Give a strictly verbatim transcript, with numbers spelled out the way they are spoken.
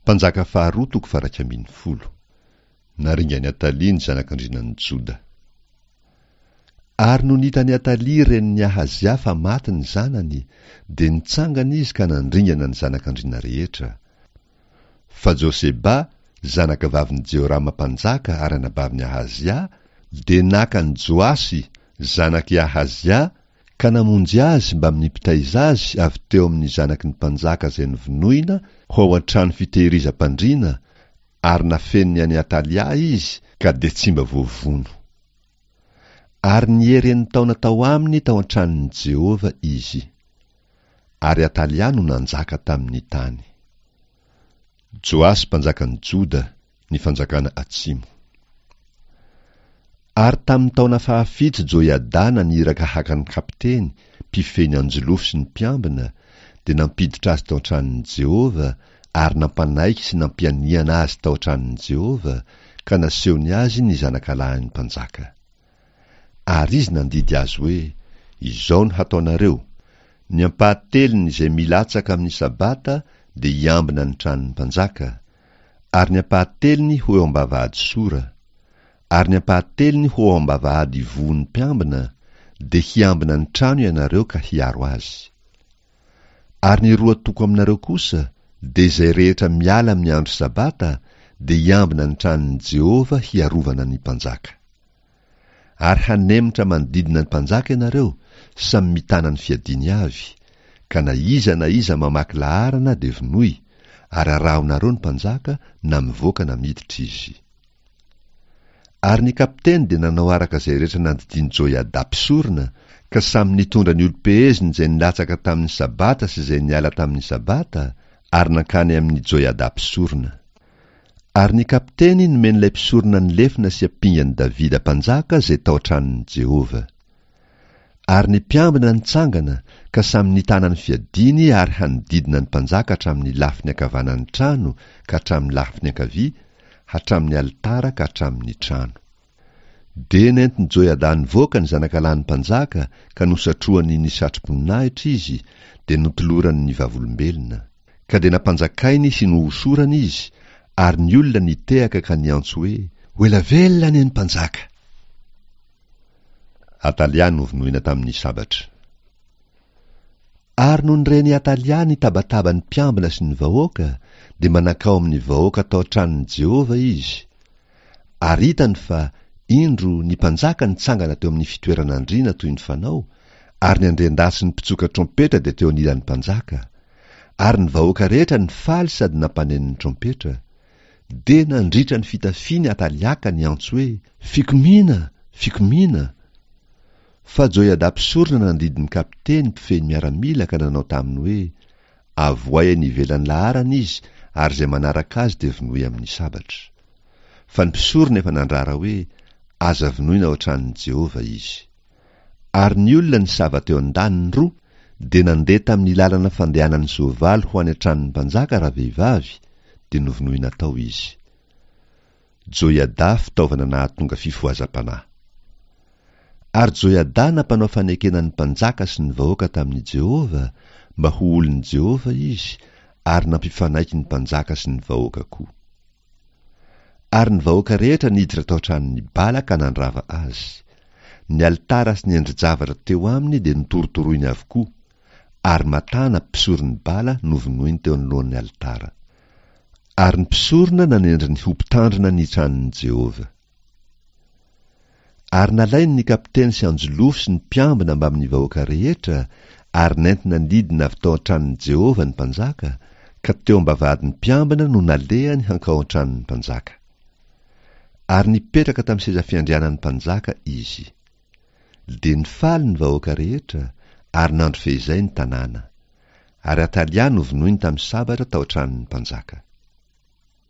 Mpanjaka faharoa toko faha-iraika ambin'ny folo. Naringan'i Atalia ny zanak'andrianan'i Joda. Ary nony hitan'i Atalia renin'i Ahazia fa maty ny zanany, dia nitsangana izy ka nandringana ny zanak'andriana rehetra. Fa Joseba, zanakavavin'i Jehorama mpanjaka ary anabavin'i Ahazia, dia naka an'i Joasy, zanak'i Ahazia, ka namonjy azy mbamin'ny mpitaiza azy avy teo amin'ny zanaky ny mpanjaka izay novonoina ho ao an-trano fitehirizam-pandriana, ary nafeniny an'i Atalia izy, ka dia tsy mba voavono. Ary niery enin-taona tao aminy tao an-tranon'i Jehovah izy. Ary Atalia no nanjaka tamin'ny tany. Joasy mpanjakan'i Joda, ny fanjakana atsimo. Ary tamin'ny taona fahafito Joiada naniraka haka ny kapiteny, mpifehy ny anjolofo sy ny mpiambina, dia nampiditra azy tao an-tranon'i Jehovah ary nampanaiky sy nampianiana azy tao an-tranon'i Jehovah, ka nasehony azy ny zanakalahin'ny mpanjaka. Ary izy nandidy azy hoe, Izao no hataonareo, Ny ampahatelony izay milatsaka amin'ny Sabata dia hiambina ny tranon'ny mpanjaka, ary ny ampahatelony ho eo am-bavahady Sora, ary ny ampahatelony ho ao am-bavahady ivohon'ny mpiambina, dia hiambina ny trano ianareo ka hiaro azy. Ary ny roa toko aminareo kosa, dia izay rehetra miala amin'ny andro Sabata, dia hiambina ny tranon'i Jehovah hiarovana ny mpanjaka. Ary hanemotra manodidina ny mpanjaka ianareo, samy mitana ny fiadiany avy, ka na iza na iza mamaky laharana dia vonoy, ary arahonareo ny mpanjaka na mivoaka na miditra izy. Ary ny kapiteny dia nanao araka izay rehetra nandidian'i Joiada mpisorona, ka samy nitondra ny olom-peheziny izay nilatsaka tamin'ny Sabata sy izay niala tamin'ny Sabata, ary nankany amin'i Joiada mpisorona. Ary ny kapiteny nomen'ilay mpisorona ny lefona sy ampingan'i Davida mpanjaka izay tao an-tranon'i Jehovah. Ary ny mpiambina nitsangana ka samy nitana ny fiadiany ary hanodidina ny mpanjaka hatramin'ny lafiny ankavanan'ny trano ka hatramin'ny lafiny ankavia, hatramin'ny alitara ka hatramin'ny trano. Dia nentin'i Joiada nivoaka ny zanakalahin'ny mpanjaka ka nosatrohany ny satroboninahitra izy, dia notolorany ny vavolombelona. Ka dia nampanjakainy sy nohosorany izy, ary ny olona nitehaka ka niantso hoe, Ho ela velona anie ny mpanjaka! Atalia novonoina tamin'ny sabatra. Ary nony ren'i Atalia ny tabataban'ny mpiambina sy ny vahoaka, dia mba nankao amin'ny vahoaka tao an-tranon'i Jehovah izy. Ary hitany fa, indro, ny mpanjaka nitsangana teo amin'ny fitoeran'andriana toy ny fanao, ary ny andriandahy sy ny mpitsoka trompetra dia teo anilan'ny mpanjaka. Ary ny vahoaka rehetra nifaly sady nampaneno ny trompetra. Dia nandritra ny fitafiany Atalia ka niantso hoe, Fikomiana! Fikomiana! Fa Joiada mpisorona nandidy ny kapiteny mpifehy ny miaramila ka nanao taminy hoe, Avohay any ivelan'ny laharana izy, ary izay manaraka azy dia vonoy amin'ny sabatra. Fa ny mpisorona efa nandrara hoe, Aza vonoina ao an-tranon'i Jehovah izy. Ary ny olona nisava teo an-daniny roa dia nandeha tamin'ny lalana fandehanan'ny soavaly ho any an-tranon'ny mpanjaka ravehivavy, dia novonoina tao izy. Joiada fitaovana nahatonga fifohazam-panahy. Ary Joiada nampanao fanekena ny mpanjaka sy ny vahoaka tamin'i Jehovah mba ho olon'i Jehovah izy, ary nampifanaiky ny mpanjaka sy ny vahoaka koa. Ary ny vahoaka rehetra niditra tao an-tranon'i Bala ka nandrava azy. Ny alitara sy ny endri-javatra teo aminy dia notorotoroiny avokoa, ary Matana, mpisoron'i Bala, novonoiny teo anoloan'ny alitara. Ary ny mpisorona nanendry ny ho mpitandrina ny tranon'i Jehovah. Ary nalainy ny kapiteny sy anjolofo sy ny mpiambina mbamin'ny vahoaka rehetra, ary nentina nidina avy tao an-tranon'i Jehovah ny mpanjaka, ka teo am-bavahadin'ny mpiambina no nalehany hankao an-tranon'ny mpanjaka. Ary nipetraka tamin'ny seza fiandrianan'ny mpanjaka izy. Dia nifaly ny vahoaka rehetra, ary nandro feizay ny tanàna. Ary Atalia novonoiny tamin'ny sabatra tao an-tranon'ny mpanjaka.